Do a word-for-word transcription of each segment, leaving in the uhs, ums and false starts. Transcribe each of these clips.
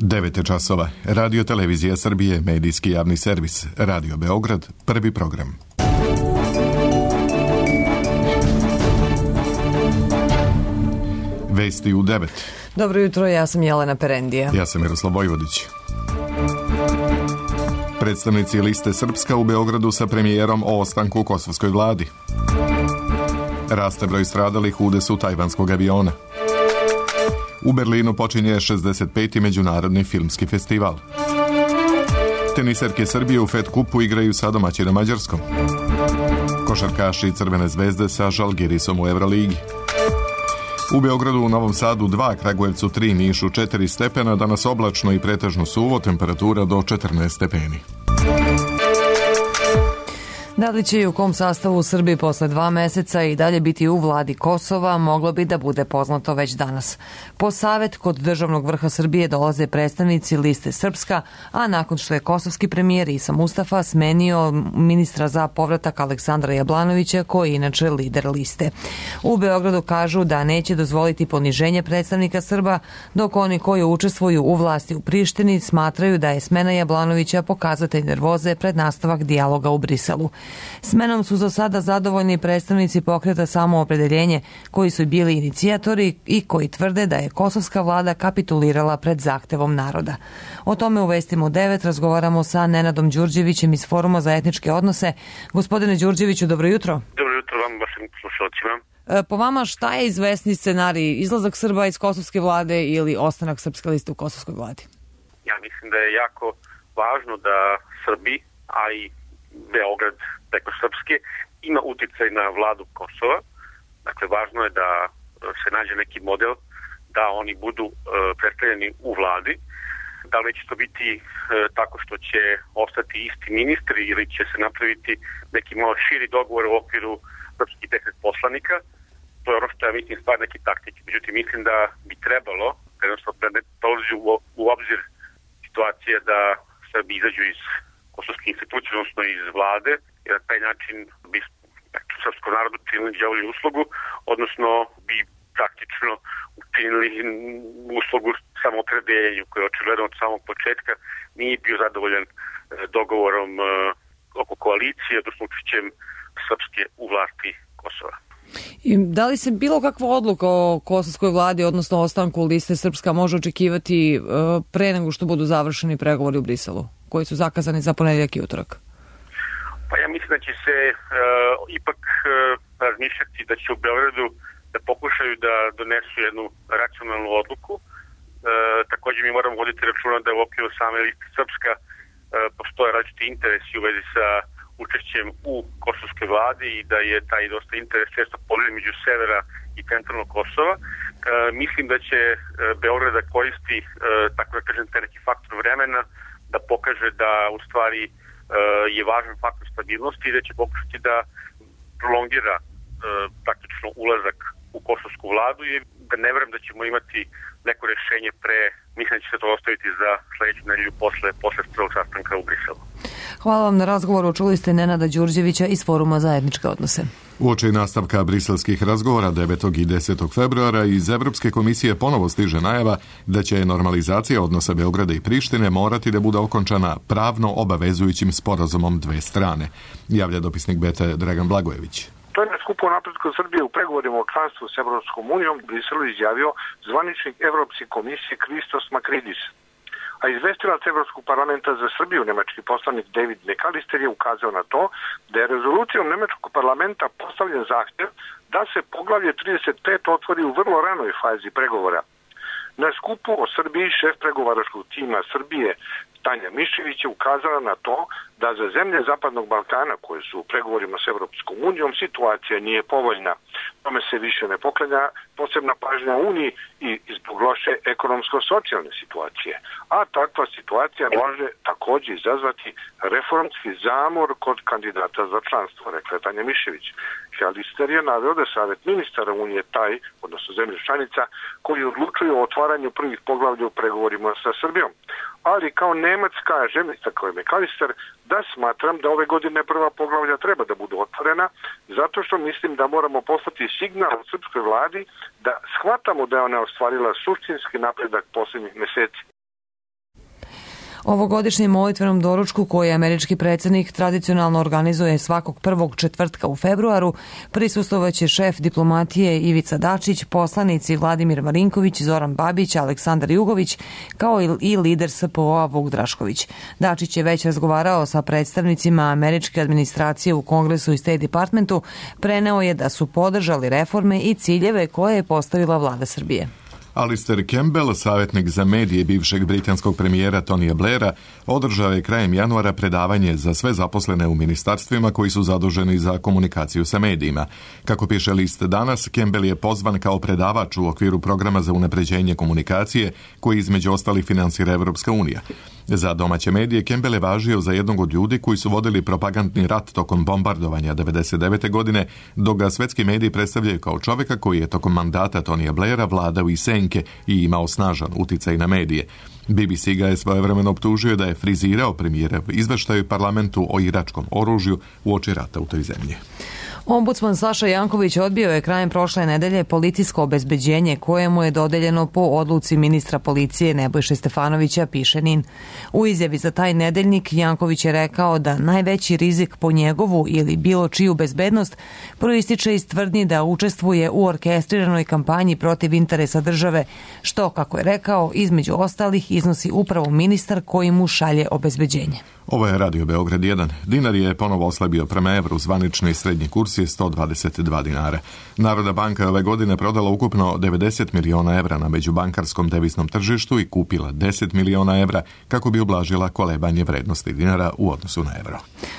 devet je časova. Radio Televizija Srbije, medijski javni servis. Radio Beograd, prvi program. Vesti u devet. Dobro jutro, ja sam Jelena Perendija. Ja sam Miroslav Vojvodić. Predstavnici liste Srpska u Beogradu sa premijerom o ostanku u kosovskoj vladi. Raste broj stradalih u udesu tajvanskog aviona. U Berlinu počinje šezdeset peti međunarodni filmski festival. Teniserke Srbije u Fed kupu igraju sa domaćinom Mađarskom. Košarkaši Crvene zvezde sa Žalgirisom u Evroligi. U Beogradu, u Novom Sadu dva, Kragujevcu tri, Nišu četiri stepena, danas oblačno i pretežno suvo, temperatura do četrnaest stepeni. Da li će i u kom sastavu u Srbiji posle dva meseca i dalje biti u vladi Kosova, moglo bi da bude poznato već danas. Po savet kod državnog vrha Srbije dolaze predstavnici liste Srpska, a nakon što je kosovski premijer Isa Mustafa smenio ministra za povratak Aleksandra Jablanovića, koji je inače lider liste. U Beogradu kažu da neće dozvoliti poniženje predstavnika Srba, dok oni koji učestvuju u vlasti u Prištini smatraju da je smena Jablanovića pokazatelj nervoze pred nastavak dijaloga u Briselu. Smenom su za sada zadovoljni predstavnici pokreta Samoopredeljenje, koji su bili inicijatori i koji tvrde da je kosovska vlada kapitulirala pred zahtevom naroda. O tome u Vestima u devet razgovaramo sa Nenadom Đurđevićem iz Foruma za etničke odnose. Gospodine Đurđeviću, dobro jutro. Dobro jutro vam, vašim slušalcima. Po vama, šta je izvesni scenarij? Izlazak Srba iz kosovske vlade ili ostanak Srpske liste u kosovskoj vladi? Ja mislim da je jako važno da Srbi, a i Beograd preko Srpske, ima uticaj na vladu Kosova. Dakle, važno je da se nađe neki model da oni budu e, predstavljeni u vladi. Da li će to biti e, tako što će ostati isti ministri ili će se napraviti neki malo širi dogovor u okviru srpskih deset poslanika. To je ono što ja mislim stvar neki taktik. Međutim, mislim da bi trebalo, jednostavno da ne dolazi u, u obzir situacije da Srbi izađu iz kosovske institucije, odnosno iz vlade, jer na taj način bi srpskom narodu činili đavolju uslugu, odnosno bi praktično učinili uslugu samoopredeljenju, koji je očigledno od samog početka nije bio zadovoljan dogovorom oko koalicije, odnosno učešćem Srpske u vlasti Kosova. I da li se bilo kakva odluka o kosovskoj vladi, odnosno ostanku liste Srpska, može očekivati pre nego što budu završeni pregovori u Briselu, koji su zakazani za ponedjeljak i utorak? Pa ja mislim da će se uh, ipak uh, razmišljati da će u Beogradu da pokušaju da donesu jednu racionalnu odluku. Uh, također mi moramo voditi računa da u okviru same liste Srpska uh, postoje različiti interesi u vezi sa učešćem u kosovskoj vladi i da je taj dosta interes često podijeljen među severa i centralnog Kosova. Uh, mislim da će uh, Beograd da koristi uh, tako da kažem taj neki faktor vremena da pokaže da u stvari je važan faktor stabilnosti i da će pokušati da prolongira e, praktično ulazak u kosovsku vladu i da ne verujem da ćemo imati neko rješenje pre, mislim da će se to ostaviti za sljedeću nedelju posle, posle prvog sastanka u Briselu. Hvala vam na razgovoru. Čuli ste Nenada Đurđevića iz Foruma za etničke odnose. Uoči nastavka briselskih razgovora devetog i desetog februara iz Evropske komisije ponovo stiže najava da će normalizacija odnosa Beograda i Prištine morati da bude okončana pravno obavezujućim sporazumom dve strane, javlja dopisnik B T Dragan Blagojević. To je na skupu o napretku Srbije u pregovorima o članstvu s Evropskom unijom u Briselu izjavio zvaničnik Evropske komisije Kristos Makridis. A izvestilac Evropskog parlamenta za Srbiju, nemački poslanik David McAllister, je ukazao na to da je rezolucijom nemačkog parlamenta postavljen zahtjev da se poglavlje trideset pet otvori u vrlo ranoj fazi pregovora. Na skupu o Srbiji šef pregovaračkog tima Srbije Tanja Mišević je ukazala na to da za zemlje Zapadnog Balkana koje su u pregovorima s Evropskom unijom situacija nije povoljna. Tome se više ne poklanja posebna pažnja Uniji i zbog loše ekonomsko-socijalne situacije. A takva situacija može također izazvati reformski zamor kod kandidata za članstvo, rekla je Tanja Mišević. Šalister je naveo da Savet ministara Unije taj, odnosno zemlje članica, koji odlučuju o otvaranju prvih poglavlja u pregovorima sa Srbijom. Ali kao Nemac kaže, tako je McAllister, da smatram da ove godine prva poglavlja treba da budu otvorena, zato što mislim da moramo poslati signal od srpskoj vladi da shvatamo da je ona ostvarila suštinski napredak posljednjih meseci. Ovogodišnjem molitvenom doručku koji američki predsjednik tradicionalno organizuje svakog prvog četvrtka u februaru prisustvovaće šef diplomatije Ivica Dačić, poslanici Vladimir Marinković, Zoran Babić, Aleksandar Jugović, kao i lider S P O-a Vuk Drašković. Dačić je već razgovarao sa predstavnicima američke administracije u Kongresu i State Departmentu, preneo je da su podržali reforme i ciljeve koje je postavila vlada Srbije. Alistair Campbell, savjetnik za medije bivšeg britanskog premijera Tonija Blaira, održao je krajem januara predavanje za sve zaposlene u ministarstvima koji su zaduženi za komunikaciju sa medijima. Kako piše list Danas, Campbell je pozvan kao predavač u okviru programa za unapređenje komunikacije koji između ostalih finansira Evropska unija. Za domaće medije Campbell je važio za jednog od ljudi koji su vodili propagandni rat tokom bombardovanja devedeset devete. godine, dok ga svetski mediji predstavljaju kao čovjeka koji je tokom mandata Tonija Blaira vladao i senke i imao snažan uticaj na medije. B B C ga je svojevremeno optužio da je frizirao premijerev izveštaj u parlamentu o iračkom oružju uoči rata u toj zemlji. Ombudsman Saša Janković odbio je krajem prošle nedelje policijsko obezbeđenje koje mu je dodeljeno po odluci ministra policije Nebojše Stefanovića, piše Nin. U izjavi za taj nedeljnik Janković je rekao da najveći rizik po njegovu ili bilo čiju bezbednost proističe iz tvrdnji da učestvuje u orkestriranoj kampanji protiv interesa države, što, kako je rekao, između ostalih iznosi upravo ministar koji mu šalje obezbeđenje. Ovo je Radio Beograd jedan. Dinar je ponovo oslabio prema evru, zvanični srednji kurs je sto dvadeset dva dinara. Narodna banka je ove godine prodala ukupno devedeset miliona evra na međubankarskom deviznom tržištu i kupila deset miliona evra kako bi ublažila kolebanje vrednosti dinara u odnosu na evro.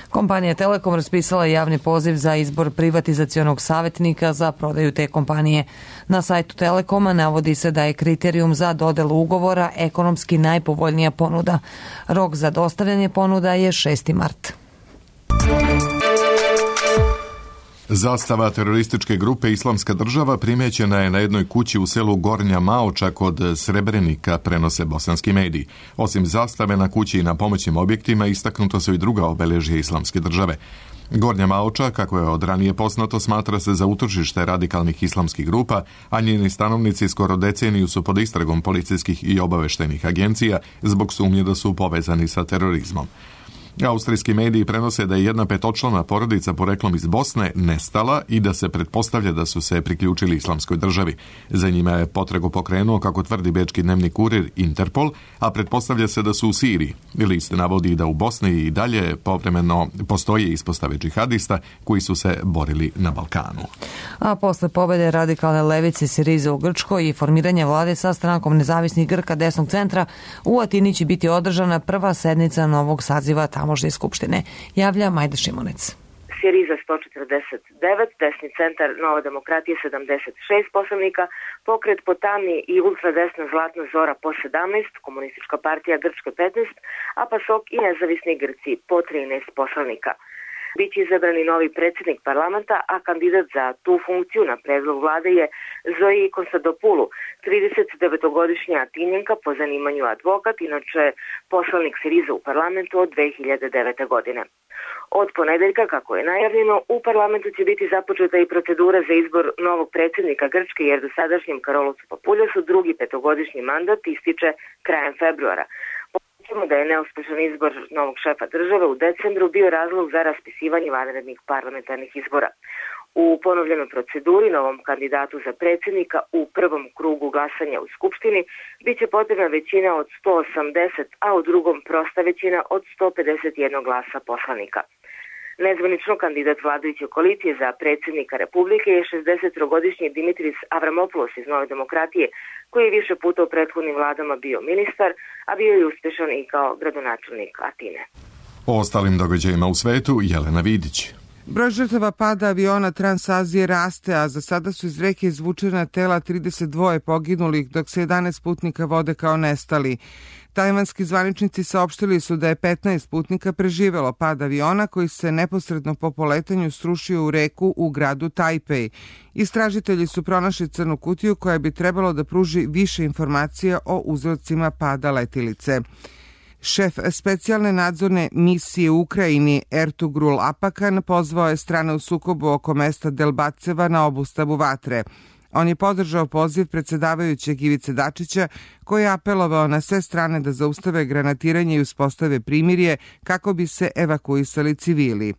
Kompanija Telekom raspisala javni poziv za izbor privatizacionog savjetnika za prodaju te kompanije. Na sajtu Telekoma navodi se da je kriterijum za dodelu ugovora ekonomski najpovoljnija ponuda. Rok za dostavljanje ponuda je šesti mart. Zastava terorističke grupe Islamska država primećena je na jednoj kući u selu Gornja Maoča kod Srebrenika, prenose bosanski mediji. Osim zastave na kući i na pomoćnim objektima istaknuto su i druga obeležja Islamske države. Gornja Maoča, kako je od ranije poznato, smatra se za utočište radikalnih islamskih grupa, a njeni stanovnici skoro deceniju su pod istragom policijskih i obaveštenih agencija zbog sumnje da su povezani sa terorizmom. Austrijski mediji prenose da je jedna petočlana porodica poreklom iz Bosne nestala i da se pretpostavlja da su se priključili Islamskoj državi. Za njima je potragu pokrenuo, kako tvrdi bečki dnevni kurir, Interpol, a pretpostavlja se da su u Siriji. List navodi da u Bosni i dalje povremeno postoje ispostave džihadista koji su se borili na Balkanu. A posle pobede radikalne levice Sirize u Grčkoj i formiranja vlade sa strankom nezavisnih Grka desnog centra, u Atini će biti održana prva sednica novog saziva tamošnje skupštine, javlja Majda Šimonec. Siriza sto četrdeset devet, desni centar Nova demokratija sedamdeset šest poslanika, pokret Potami i ultradesna Zlatna Zora po sedamnaest, komunistička partija Grčke petnaest, a PASOK i nezavisni Grci po trinaest poslanika. Biće izabrani novi predsjednik parlamenta, a kandidat za tu funkciju na predlog vlade je Zoji Konstantopulu, tridesetdevetogodišnja Atinjenka, po zanimanju advokat, inače poslanik Siriza u parlamentu od dve hiljade devete. godine. Od ponedeljka, kako je najavljeno, u parlamentu će biti započeta i procedura za izbor novog predsjednika Grčke, jer dosadašnjem Karolosu Papuljasu drugi petogodišnji mandat ističe krajem februara. Podsjećamo da je neuspešan izbor novog šefa države u decembru bio razlog za raspisivanje vanrednih parlamentarnih izbora. U ponovljenoj proceduri novom kandidatu za predsjednika u prvom krugu glasanja u Skupštini biće potrebna većina od sto osamdeset, a u drugom prosta većina od sto pedeset jedan glasa poslanika. Nezvanično kandidat vladajuće koalicije za predsjednika Republike je šezdesettrogodišnji Dimitris Avramopoulos iz Nove demokratije, koji je više puta u prethodnim vladama bio ministar, a bio je uspešan i kao gradonačelnik Atine. O ostalim događajima u svetu, Jelena Vidić. Broj žrtava pada aviona Transazije raste, a za sada su iz reke izvučena tela trideset dva poginulih, dok se jedanaest putnika vode kao nestali. Tajvanski zvaničnici saopštili su da je petnaest putnika preživelo pad aviona koji se neposredno po poletanju srušio u reku u gradu Tajpej. Istražitelji su pronašli crnu kutiju koja bi trebalo da pruži više informacija o uzrocima pada letilice. Šef specijalne nadzorne misije u Ukrajini Ertugrul Apakan pozvao je strane u sukobu oko mesta Delbaceva na obustavu vatre. On je podržao poziv predsedavajućeg Ivice Dačića, koji je apelovao na sve strane da zaustave granatiranje i uspostave primirje kako bi se evakuisali civili.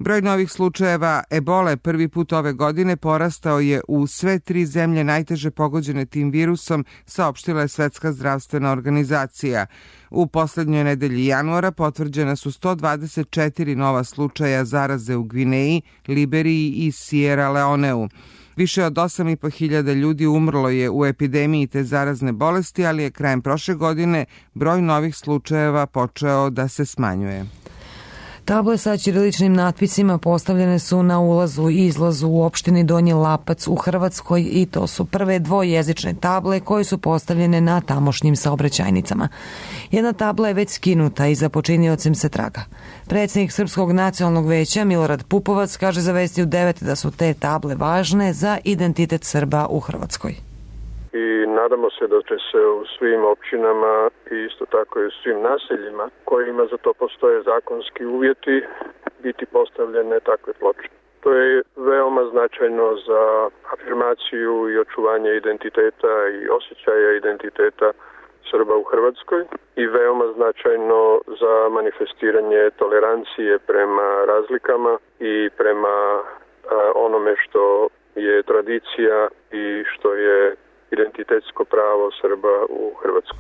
Broj novih slučajeva ebole prvi put ove godine porastao je u sve tri zemlje najteže pogođene tim virusom, saopštila je Svetska zdravstvena organizacija. U poslednjoj nedelji januara potvrđena su sto dvadeset četiri nova slučaja zaraze u Gvineji, Liberiji i Sierra Leoneu. Više od osam i po hiljada ljudi umrlo je u epidemiji te zarazne bolesti, ali je krajem prošle godine broj novih slučajeva počeo da se smanjuje. Table sa ćiriličnim natpisima postavljene su na ulazu i izlazu u opštini Donji Lapac u Hrvatskoj i to su prve dvojezične table koje su postavljene na tamošnjim saobraćajnicama. Jedna tabla je već skinuta i za počiniocem se traga. Predsjednik Srpskog nacionalnog veća Milorad Pupovac kaže za Vesti u devet da su te table važne za identitet Srba u Hrvatskoj. I nadamo se da će se u svim općinama i isto tako i u svim naseljima kojima za to postoje zakonski uvjeti biti postavljene takve ploče. To je veoma značajno za afirmaciju i očuvanje identiteta i osjećaja identiteta Srba u Hrvatskoj i veoma značajno za manifestiranje tolerancije prema razlikama i prema a, onome što je tradicija i što je identitetsko pravo Srba u Hrvatskoj.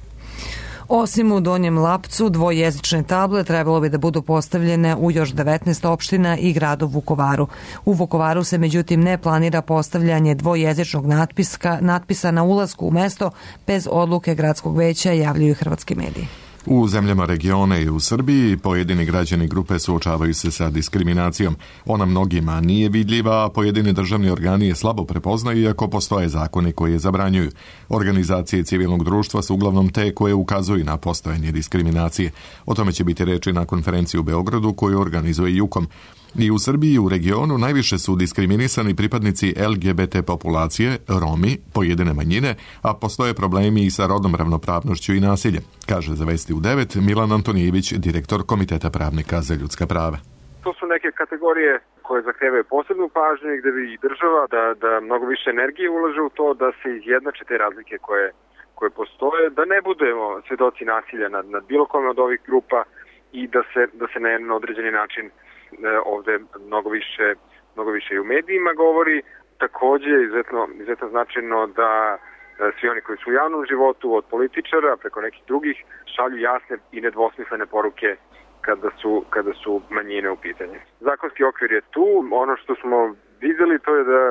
Osim u Donjem Lapcu, dvojezične table trebalo bi da budu postavljene u još devetnaest opština i gradu Vukovaru. U Vukovaru se međutim ne planira postavljanje dvojezičnog natpiska, natpisa na ulasku u mesto bez odluke gradskog veća, javljaju hrvatski mediji. U zemljama regiona i u Srbiji pojedini građani grupe suočavaju se sa diskriminacijom. Ona mnogima nije vidljiva, a pojedini državni organi je slabo prepoznaju iako postoje zakoni koji je zabranjuju. Organizacije civilnog društva su uglavnom te koje ukazuju na postojanje diskriminacije. O tome će biti reči na konferenciji u Beogradu koju organizuje Jukom. I u Srbiji i u regionu najviše su diskriminisani pripadnici L G B T populacije, Romi, pojedine manjine, a postoje problemi i sa rodnom ravnopravnošću i nasiljem, kaže za Vesti u devet Milan Antonijević, direktor Komiteta pravnika za ljudska prava. To su neke kategorije koje zahtevaju posebnu pažnju i gde bi i država da, da mnogo više energije ulaže u to da se izjednače te razlike koje, koje postoje, da ne budemo svedoci nasilja nad, nad bilo kome od ovih grupa i da se, da se na jedan određeni način ovde mnogo više, mnogo više i u medijima govori. Takođe je izuzetno, izuzetno značajno da svi oni koji su u javnom životu, od političara preko nekih drugih, šalju jasne i nedvosmislene poruke kada su, kada su manjine u pitanju. Zakonski okvir je tu. Ono što smo videli to je da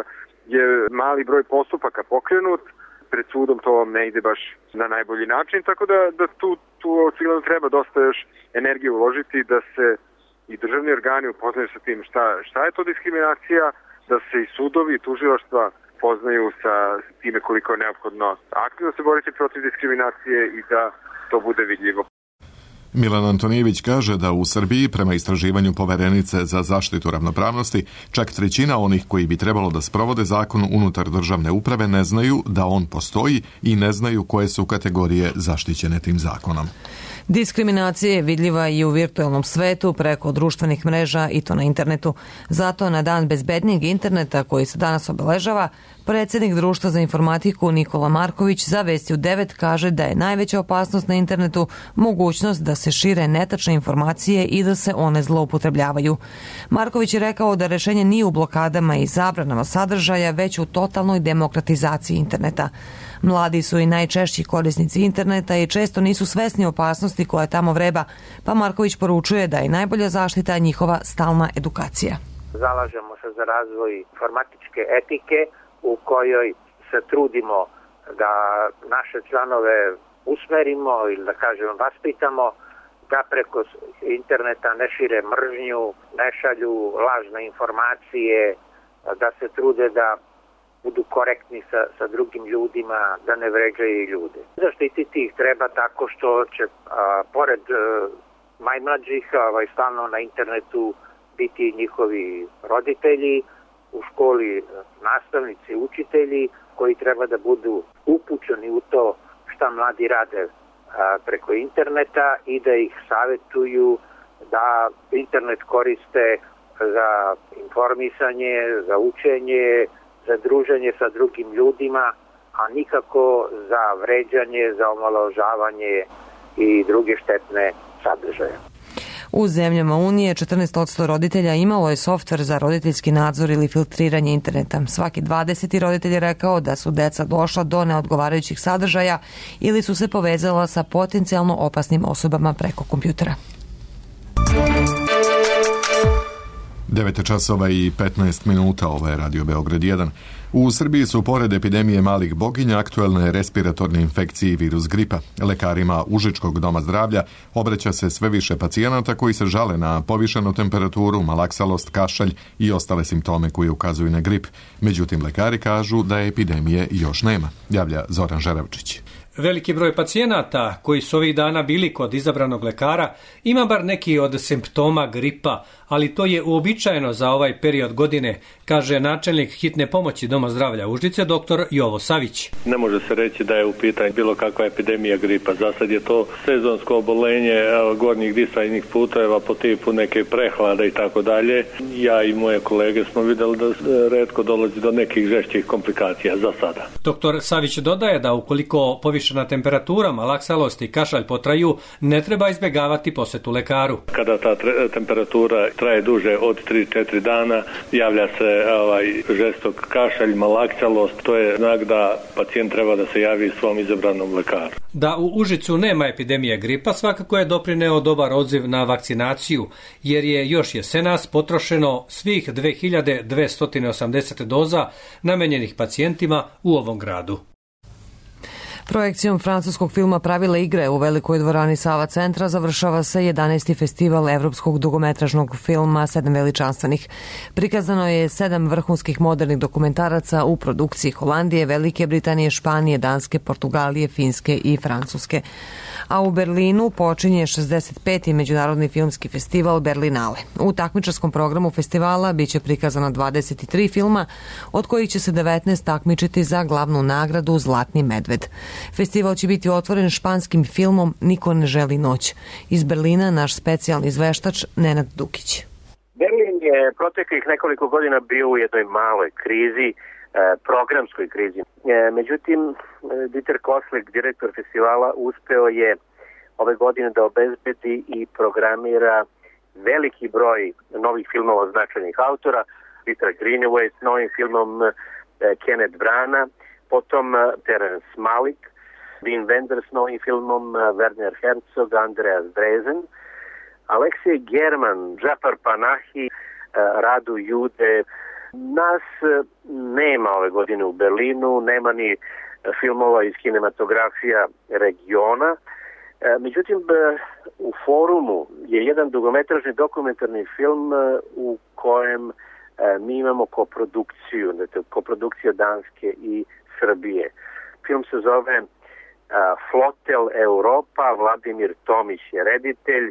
je mali broj postupaka pokrenut. Pred sudom to ne ide baš na najbolji način, tako da, da tu, tu očigledno treba dosta još energije uložiti da se i državni organi upoznaju sa tim šta, šta je to diskriminacija, da se i sudovi i tužilaštva poznaju sa time koliko je neophodno aktivno se boriti protiv diskriminacije i da to bude vidljivo. Milan Antonijević kaže da u Srbiji, prema istraživanju Poverenice za zaštitu ravnopravnosti, čak trećina onih koji bi trebalo da sprovode zakon unutar državne uprave ne znaju da on postoji i ne znaju koje su kategorije zaštićene tim zakonom. Diskriminacija je vidljiva i u virtualnom svetu preko društvenih mreža i to na internetu. Zato na dan bezbednijeg interneta koji se danas obeležava, predsjednik Društva za informatiku Nikola Marković za Vesti u devet kaže da je najveća opasnost na internetu mogućnost da se šire netačne informacije i da se one zloupotrebljavaju. Marković je rekao da rešenje nije u blokadama i zabranama sadržaja, već u totalnoj demokratizaciji interneta. Mladi su i najčešći korisnici interneta i često nisu svesni opasnosti koja tamo vreba, pa Marković poručuje da je najbolja zaštita njihova stalna edukacija. Zalažemo se za razvoj informatičke etike u kojoj se trudimo da naše članove usmerimo ili da kažemo vaspitamo da preko interneta ne šire mržnju, ne šalju lažne informacije, da se trude da budu korektni sa, sa drugim ljudima, da ne vređaju ljude. Zaštititi ih treba tako što će, a, pored a, najmlađih, ovaj, stalno na internetu biti njihovi roditelji, u školi nastavnici, učitelji, koji treba da budu upućeni u to šta mladi rade a, preko interneta i da ih savjetuju da internet koriste za informisanje, za učenje, za druženje sa drugim ljudima, a nikako za vređanje, za omalovažavanje i druge štetne sadržaje. U zemljama Unije četrnaest posto roditelja imalo je softver za roditeljski nadzor ili filtriranje interneta. Svaki dvadeseti roditelj je rekao da su deca došla do neodgovarajućih sadržaja ili su se povezala sa potencijalno opasnim osobama preko kompjutera. devet časova i petnaest minuta, ovo je Radio Beograd jedan. U Srbiji su pored epidemije malih boginja aktuelne respiratorne infekcije i virus gripa. Lekarima Užičkog doma zdravlja obraća se sve više pacijenata koji se žale na povišenu temperaturu, malaksalost, kašalj i ostale simptome koji ukazuju na grip. Međutim, lekari kažu da epidemije još nema, javlja Zoran Žeravčić. Veliki broj pacijenata koji su ovih dana bili kod izabranog lekara ima bar neki od simptoma gripa, ali to je uobičajeno za ovaj period godine, kaže načelnik hitne pomoći Doma zdravlja Užice, doktor Jovo Savić. Ne može se reći da je u pitanju bilo kakva epidemija gripa. Za sad je to sezonsko obolenje gornjih disajnih puteva po tipu neke prehlade i tako dalje. Ja i moje kolege smo vidjeli da retko dolazi do nekih žešćih komplikacija za sada. Doktor Savić dodaje da ukoliko povišena temperatura, malaksalost i kašalj potraju, ne treba izbjegavati posjetu lekaru. Kada ta temperatura traje duže od tri do četiri dana, javlja se ovaj žestok kašalj, malaksalost, to je znak da pacijent treba da se javi svom izabranom lekaru. Da u Užicu nema epidemije gripa svakako je doprineo dobar odziv na vakcinaciju, jer je još jesenas potrošeno svih dve hiljade dvesta osamdeset doza namenjenih pacijentima u ovom gradu. Projekcijom francuskog filma Pravila igre u velikoj dvorani Sava centra završava se jedanaesti festival evropskog dugometražnog filma Sedam veličanstvenih. Prikazano je sedam vrhunskih modernih dokumentaraca u produkciji Holandije, Velike Britanije, Španije, Danske, Portugalije, Finske i Francuske. A u Berlinu počinje šezdeset peti međunarodni filmski festival Berlinale. U takmičarskom programu festivala biće prikazano dvadeset tri filma, od kojih će se devetnaest takmičiti za glavnu nagradu Zlatni medved. Festival će biti otvoren španskim filmom Niko ne želi noć. Iz Berlina naš specijalni izveštač Nenad Dukić. Berlin je proteklih nekoliko godina bio u jednoj maloj krizi, programskoj krizi. Međutim, Dieter Koslik, direktor festivala, uspeo je ove godine da obezbedi i programira veliki broj novih filmova značajnih autora, Peter Greenaway s novim filmom Kenneth Brana, potom Terence Malick, Wim Wenders s novim filmom, Werner Herzog, Andreas Dresen, Aleksej German, Džafar Panahi, Radu Jude. Nas nema ove godine u Berlinu, nema ni filmova iz kinematografija regiona. Međutim, u forumu je jedan dugometražni dokumentarni film u kojem mi imamo koprodukciju, koprodukcija Danske i Srbije. Film se zove Flotel Europa, Vladimir Tomić je reditelj.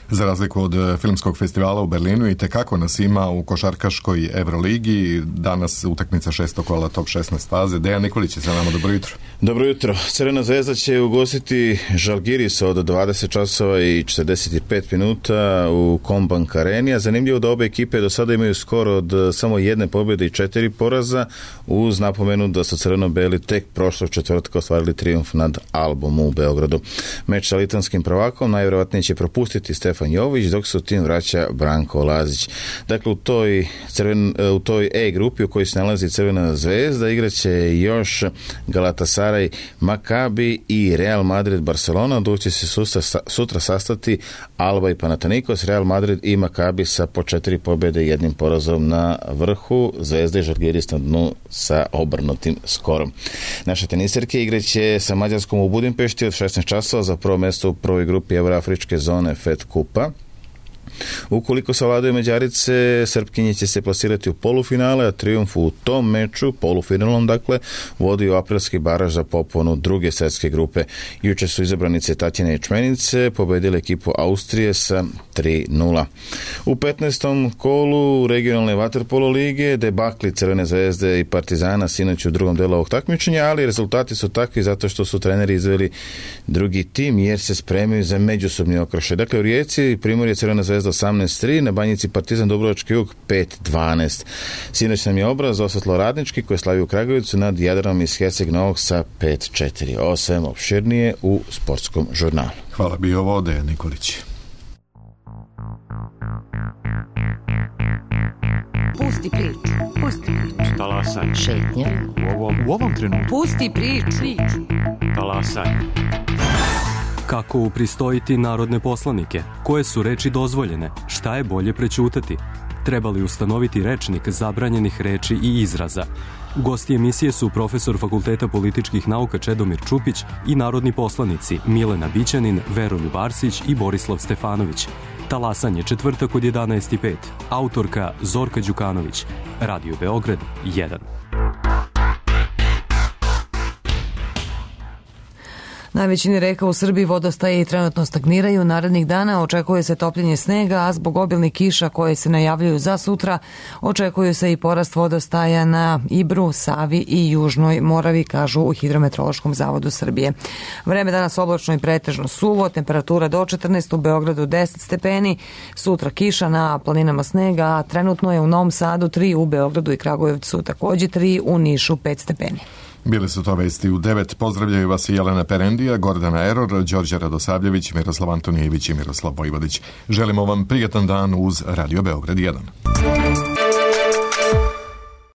Za razliku od filmskog festivala u Berlinu i tekako nas ima u košarkaškoj Evroligi. Danas utakmica šestog kola top šesnaest faze. Dejan Nikolić je sa nama, dobro jutro. Dobro jutro. Crvena zvezda će ugostiti Žalgiris od dvadeset časova i četrdeset pet minuta u Kombank Areni, a zanimljivo da obe ekipe do sada imaju skor od samo jedne pobjede i četiri poraza, uz napomenu da su crveno-beli tek prošlog četvrtka ostvarili trijumf nad Albom u Beogradu. Meč sa litanskim prvakom najvjerojatnije će propustiti Stefan Jović, dok se u tim vraća Branko Lazić. Dakle, u toj, crven, u toj E grupi u kojoj se nalazi Crvena zvezda igraće još Galatasaray, Maccabi i Real Madrid Barcelona, dok će se sutra, sutra sastati Alba i Panathinaikos. Real Madrid i Maccabi sa po četiri pobjede i jednim porazom na vrhu, Zvezda i Žalgiris na dnu sa obrnutim skorom. Naše teniserke igraće sa Mađarskom u Budimpešti od šesnaest časova za prvo mjesto u prvoj grupi Evroafričke zone Fed Kupa. Ukoliko savladaju Mađarice, Srpkinje će se plasirati u polufinale, a trijumf u tom meču, polufinalnom dakle, vodi u aprilski baraž za poponu druge svetske grupe. Juče su izabranice Tatjane Ječmenice pobedile ekipu Austrije sa tri nula. U petnaestom kolu regionalne vaterpolo lige debakli Crvene zvezde i Partizana sinoć u drugom delu ovog takmičenja, ali rezultati su takvi zato što su treneri izveli drugi tim jer se spremaju za međusobni okršaj. Dakle, u Rijeci Primorje Crvena zvezda osamnaest tri, na Banjici Partizan Dubrovački jug pet dvanaest. Sinoć nam je obraz Osvetlo Radnički koji slavi u Kragujevcu nad Jadranom iz Herceg Novog sa pet četiri. Ovo sve opširnije u sportskom žurnalu. Hvala, bio ovo Dejan Nikolić. Pusti priču, pusti priču. Talasaj. Šetnja. U ovom, u ovom trenutku. Pusti priču. Talasaj. Kako upristojiti narodne poslanike? Koje su reči dozvoljene? Šta je bolje prećutati? Treba li ustanoviti rečnik zabranjenih reči i izraza? Gosti emisije su profesor Fakulteta političkih nauka Čedomir Čupić i narodni poslanici Milena Bićanin, Veroljub Arsić i Borislav Stefanović. Talasanje četvrtak od jedanaest i pet. Autorka Zorka Đukanović. Radio Beograd jedan. Na većini reka u Srbiji vodostaje i trenutno stagniraju. Narednih dana očekuje se topljenje snega, a zbog obilnih kiša koje se najavljuju za sutra, očekuju se i porast vodostaja na Ibru, Savi i Južnoj Moravi, kažu u Hidrometeorološkom zavodu Srbije. Vreme danas oblačno i pretežno suvo, temperatura do četrnaest, u Beogradu deset stepeni, sutra kiša, na planinama snega, a trenutno je u Novom Sadu tri, u Beogradu i Kragujevcu takođe tri, u Nišu pet stepeni. Bili su to vesti u devet. Pozdravljaju vas Jelena Perendija, Gordana Eror, Đorđe Radosavljević, Miroslav Antonijević i Miroslav Vojvodić. Želimo vam prijatan dan uz Radio Beograd jedan.